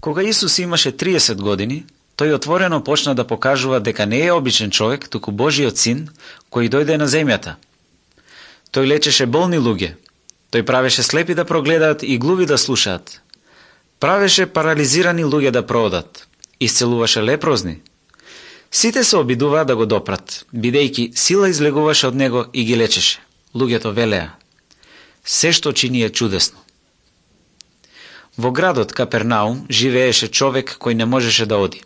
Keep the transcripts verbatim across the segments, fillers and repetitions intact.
Кога Исус имаше триесет години, тој отворено почна да покажува дека не е обичен човек, туку Божиот син, кој дојде на земјата. Тој лечеше болни луѓе, тој правеше слепи да прогледаат и глуви да слушаат. Правеше парализирани луѓе да проодат, исцелуваше лепрозни. Сите се обидуваа да го допрат, бидејќи сила излегуваше од него и ги лечеше. Луѓето велеа: се што чини е чудесно. Во градот Капернаум живееше човек кој не можеше да оди.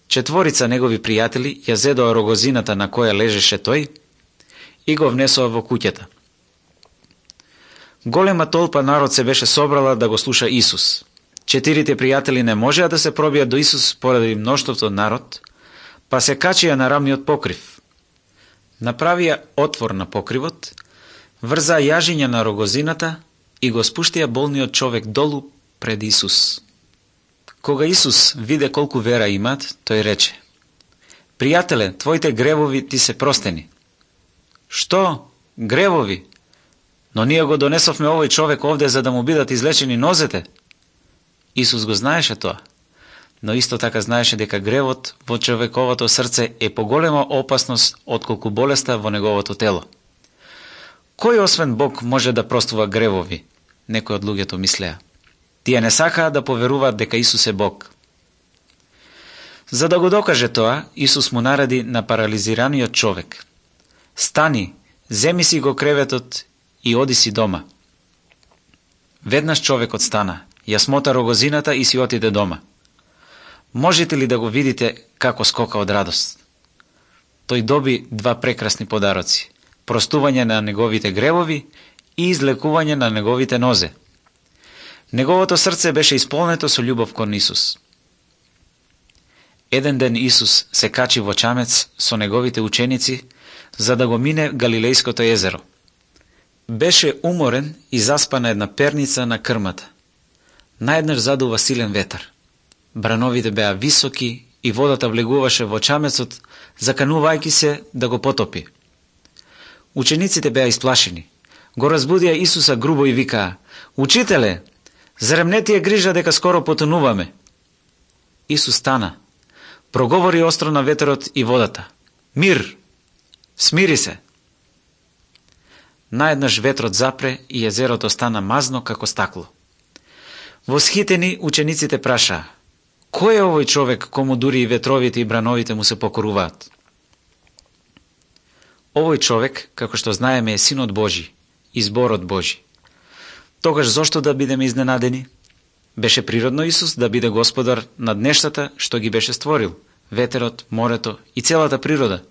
Четворица негови пријатели ја зедоа рогозината на која лежеше тој и го внесоа во куќата. Голема толпа народ се беше собрала да го слуша Исус. Четирите пријатели не можеа да се пробијат до Исус поради мноштвото народ, па се качија на рамниот покрив. Направија отвор на покривот, врзаа јажиња на рогозината и го спуштија болниот човек долу пред Исус. Кога Исус виде колку вера имаат, тој рече: пријателе, твоите гревови ти се простени. Што? Гревови? Но ние го донесовме овој човек овде за да му бидат излечени нозете. Исус го знаеше тоа, но исто така знаеше дека гревот во човековото срце е поголема опасност отколку болеста во неговото тело. Кој освен Бог може да простува гревови? Некои од луѓето мислеа. Тие не сакаа да поверуваат дека Исус е Бог. За да го докаже тоа, Исус му нареди на парализираниот човек: стани, земи си го креветот и оди си дома. Веднаш човекот стана, ја смота рогозината и си отиде дома. Можете ли да го видите како скока од радост? Тој доби два прекрасни подароци: простување на неговите гревови и излекување на неговите нозе. Неговото срце беше исполнето со љубов кон Исус. Еден ден Исус се качи во чамец со неговите ученици за да го мине Галилејското езеро. Беше уморен и заспа на една перница на крмата. Наеднаш задува силен ветар. Брановите беа високи и водата влегуваше во чамецот, заканувајќи се да го потопи. Учениците беа исплашени. Го разбудија Исуса грубо и викаа: учителе, зарем не ти е грижа дека скоро потонуваме? Исус стана, проговори остро на ветерот и водата: мир, смири се. Наеднаш ветрот запре и езерото стана мазно како стакло. Восхитени учениците прашаа: кој е овој човек кому дури и ветровите и брановите му се покоруваат? Овој човек, како што знаеме, е Синот Божи, изборот Божи. Тогаш зошто да бидеме изненадени? Беше природно Исус да биде господар над нештата што ги беше створил: ветерот, морето и целата природа.